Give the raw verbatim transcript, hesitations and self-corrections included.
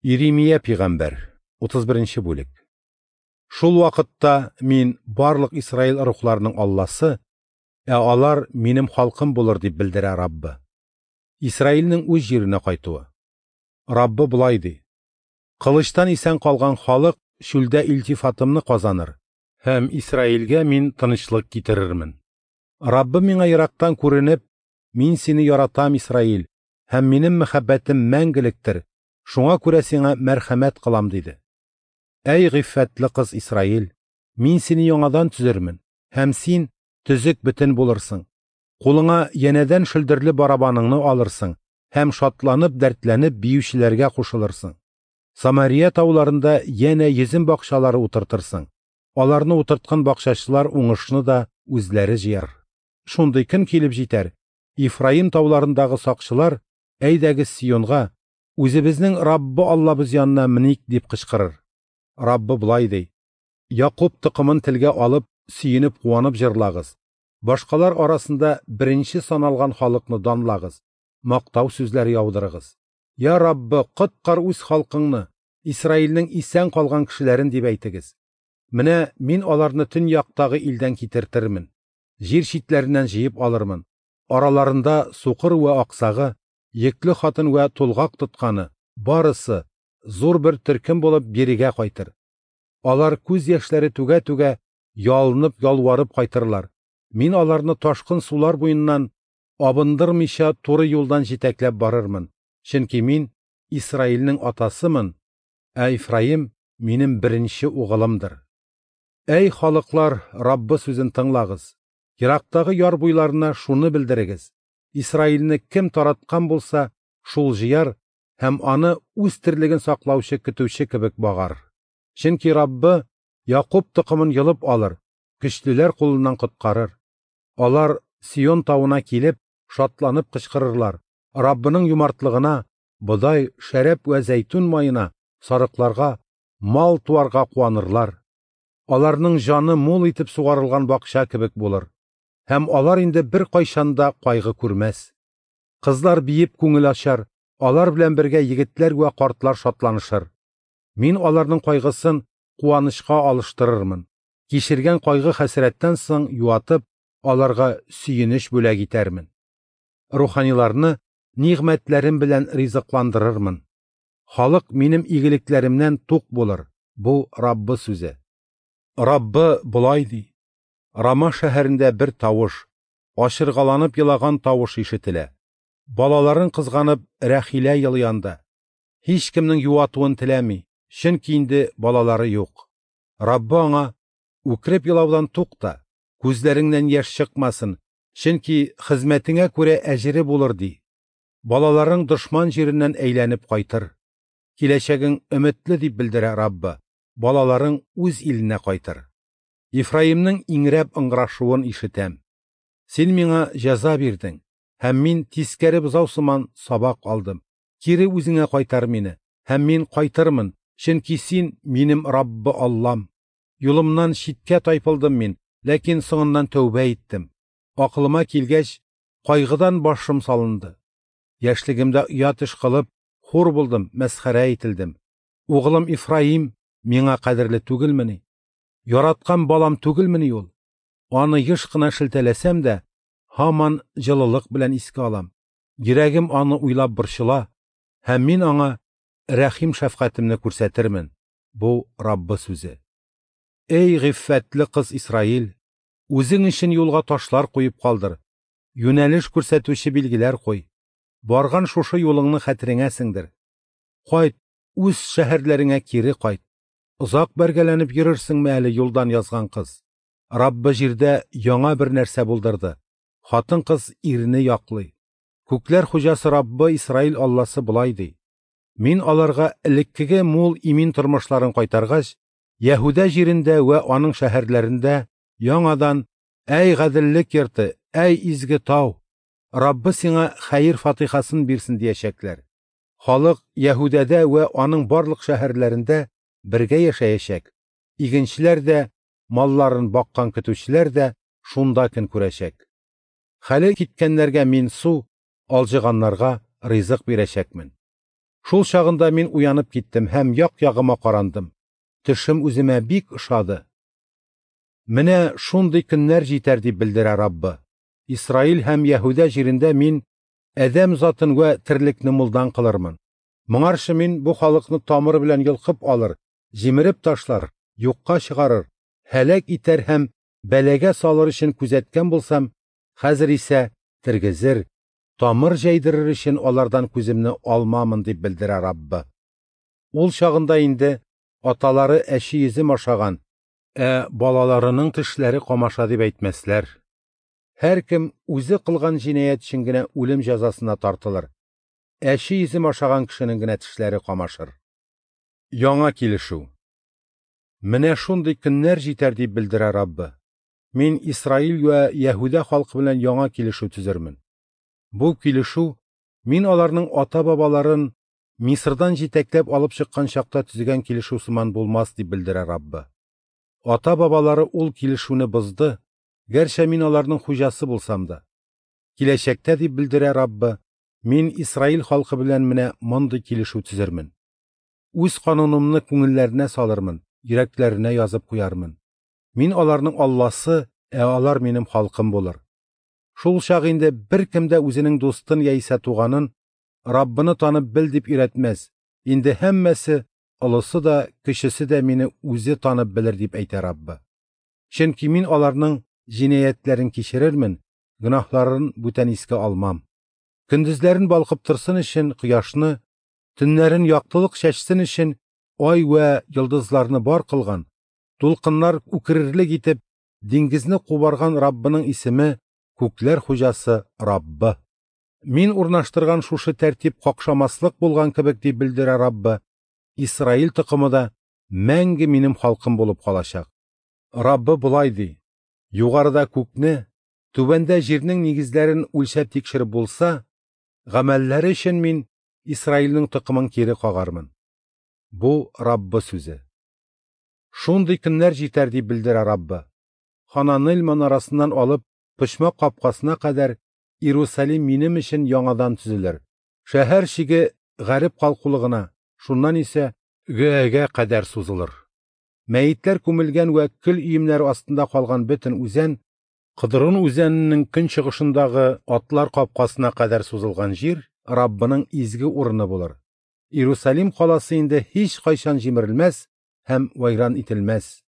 Иремия пәйгамбәр, утыз беренче бүлек. Шул вакытта мин барлык Исраил рухларының Алласы, ә алар минем халкым булыр дип белдерә Раббы. Исраилнең үз җиренә кайтуы. Раббы болай ди: Кылычтан исән калган халык чүлдә илтифатымны казаныр, һәм Исраилгә мин тынычлык китерермен. Раббы миңа ерактан күренеп, мин сине яратам, Исраил, һәм минем мәхәббәтем мәңгелектер, шуңа күрә сиңа мәрхәмәт кылам, диде. Әй гыйффәтле кыз Исраил, мин сине яңадан төзермен, һәм син төзек бөтен булырсың. Кулыңа янәдән шөлдерле барабаныңны алырсың һәм шатланып, дәртләнеп биючеләргә кушылырсың. Самария тауларында янә йөзем бакчалары утыртырсың. Аларны утырткан бакчачылар уңышны да үзләре җыяр. Шундый көн килеп җитәр, Ифраим тауларындагы сакчылар, әйдәгез Сионга, үзебезнең Раббы Аллабыз янына меник дип кычкырыр. Раббы болай ди: Якуб токымын телгә алып, сөенеп куанып җырлагыз. Башкалар арасында беренче саналган халыкны данлагыз, мактау сүзләре яудырыгыз. Я Раббы, коткар үз халкыңны, Исраилнең исән калган кешеләрен дип әйтегез. Менә мин аларны төньяктагы илдән китертермен, җир читләреннән җыеп алырмын. Араларында сукыр вә аксагы, йөкле хатын вә тулгак тотканы, барысы зур бер төркем булып бирегә кайтыр. Алар күз яшьләре түгә-түгә, ялынып ялварып кайтырлар. Мин аларны ташкын сулар буеннан абындырмыйча туры юлдан җитәкләп барырмын. Чөнки мин Исраилнең атасымын, ә Ифраим минем беренче угылымдыр. Әй халыклар, Раббы сүзен тыңлагыз. Ерактагы яр буйларына шуны белдерегез. Исраилне кем тараткан булса, шул җыяр һәм аны үз терлеген саклаучы көтүче кебек багар. Чөнки Раббы Якуб токымын йолып алыр, көчлеләр кулыннан коткарыр. Алар Сион тавына килеп, шатланып кычкырырлар. Раббының юмартлыгына, бодай, шәрәп вә зәйтүн маена, сарыкларга, мал туарга куанырлар. Аларның җаны мул итеп сугарылган бакча кебек булыр. Һәм алар инде бер кайчан да кайгы күрмәс. Кызлар биеп күңел ачар, алар белән бергә егетләр вә картлар шатланышыр. Мин аларның кайгысын куанычка алыштырырмын. Кичергән кайгы хәсрәттән соң юатып, аларга сөенеч бүләк итәрмен. Руханиларны нигъмәтләрем белән ризыкландырырмын. Халык минем игелекләремнән тук булыр. Бу Раббы сүзе. Раббы болай ди: Рама шәһәрендә бер тавыш, ачыргаланып елаган тавыш ишетелә. Балаларын кызганып Рәхилә елый анда. Һич кемнең юатуын теләми, чөнки инде балалары юк. Раббы аңа: үкереп елаудан тукта, күзләреңнән яшь чыкмасын, чөнки хезмәтеңә күрә әҗере булыр, ди. Балаларың дошман җиреннән әйләнеп кайтыр. Киләчәгең өметле дип белдерә Раббы. Балаларың үз иленә кайтыр. Ифраимның иңрәп ыңгырашуын ишетәм. Син миңа җәза бирдең, һәм мин тискәре бозау сыман сабак алдым. Кире үзеңә кайтар мине, һәм мин кайтырмын, чөнки син минем Раббы Аллам. Юлымнан читкә тайпылдым мин, ләкин соңыннан тәүбә иттем. Акылыма килгәч, кайгыдан башым салынды. Яшьлегемдә оят эш кылып, хур булдым, мәсхәрә ителдем. Угылым Ифраим миңа кадерле түгелмени? Яраткан балам түгелмени ул? Аны еш кына шелтәләсәм дә, һаман җылылык белән искә алам. Йөрәгем аны уйлап борчыла, һәм мин аңа рәхим шәфкатемне күрсәтермен. Бу Раббы сүзе. Эй гыйффәтле кыз Исраил, үзең өчен юлга ташлар куеп калдыр, юнәлеш күрсәтүче билгеләр куй. Барган шушы юлыңны хәтереңә сеңдер. Кайт, үз шәһәрләреңә кире кайт. Озак бәргәләнеп йөрерсеңме әле юлдан язган кыз? Раббы җирдә яңа бер нәрсә булдырды. Хатын-кыз ирне яклый. Күкләр хуҗасы Раббы Исраил Алласы болай ди: Мин аларга элеккеге мул имин тормышларын кайтаргач, Яһүдә җирендә вә аның шәһәрләрендә яңадан: Әй гаделлек йорты, әй изге тау, Раббы сиңа хәер фатихасын бирсен диячәкләр. Халык Яһүдәдә вә аның барлык шәһәрләрендә бергә яшәячәк. Игенчеләр дә, малларын баккан көтүчеләр дә шунда көн күрәчәк. Хәле киткәннәргә мин су, алҗыганнарга ризык бирәчәкмен. Шул чагында мин уянып киттем һәм як-ягыма карандым. Төшем үземә бик ошады. Менә шундый көннәр җитәр, дип белдерә Раббы. Исраил һәм Яһүдә җирендә мин адәм затын вә терлекне мулдан кылырмын. Моңарчы мин бу халыкны тамыры белән йолкып алыр, җимереп ташлар, юкка чыгарыр, һәлак итәр һәм бәлагә салыр өчен күзәткән булсам, хәзер исә тергезер, тамыр җәйдерер өчен алардан күземне алмамын, дип белдерә Раббы. Ул чагында инде аталары әче йөзем ашаган, ә балаларының тешләре камаша дип әйтмәсләр. Һәркем үзе кылган җинаять өчен генә үлем җәзасына тартылыр. Әче йөзем ашаган кешенең генә тешләре камашыр. Яңа килешү. Менә шундый көннәр җитәр, дип белдерә Раббы. Мин Исраил вә Яһүдә халкы белән яңа килешү төзермен. Бу килешү мин аларның ата-бабаларын Мисырдан җитәкләп алып чыккан чакта төзегән килешү сыман булмас, дип белдерә Раббы. Ата-бабалары ул килешүне бозды, гәрчә мин аларның хуҗасы булсам да. Киләчәктә, дип белдерә Раббы, мин Исраил халкы белән менә мондый килешү төзермен. Үз канунымны күңелләренә салырмын, йөрәкләренә язып куярмын. Мин аларның Алласы, ә алар минем халкым булыр. Шул чак инде беркем дә үзенең дустын яисә туганын Раббыны танып бел дип өйрәтмәс. Инде һәммәсе, олысы да, кечесе дә мине үзе танып белер, дип әйтә Раббы. Чөнки мин аларның җинаятьләрен кичерермен, гөнаһларын бүтән искә алмам. Көндезләрен балкып торсын өчен кояшны, төннәрен яктылык чәчсен өчен ай вә йолдызларны бар кылган, тулкыннар үкерерлек итеп диңгезне кубарган Раббының исеме күкләр хуҗасы Раббы. Мин урнаштырган шушы тәртип какшамаслык булган кебек, дип белдерә Раббы, Исраил токымы да мәңге минем халкым булып калачак. Раббы болай ди: югарыда күкне, түбәндә җирнең нигезләрен үлчәп тикшереп булса, гамәлләре өчен мин Исраилнең токымын кире кагармын. Бу Раббы сүзе. Шундый көннәр җитәр, дип белдерә Раббы. Хананел манарасыннан алып почмак капкасына кадәр Иерусалим минем өчен яңадан төзелер. Шәһәр чиге гарип калкулыгына, шуннан исә Гөәгә кадәр сузылыр. Мәетләр күмелгән вә көл өемнәре астында калган бөтен үзән, Кыдрун үзәненең көнчыгышындагы атлар капкасына кадәр сузылган җир Раббының изге урыны булыр. Иерусалим каласы инде һич кайчан җимерелмәс һәм вайран ителмәс.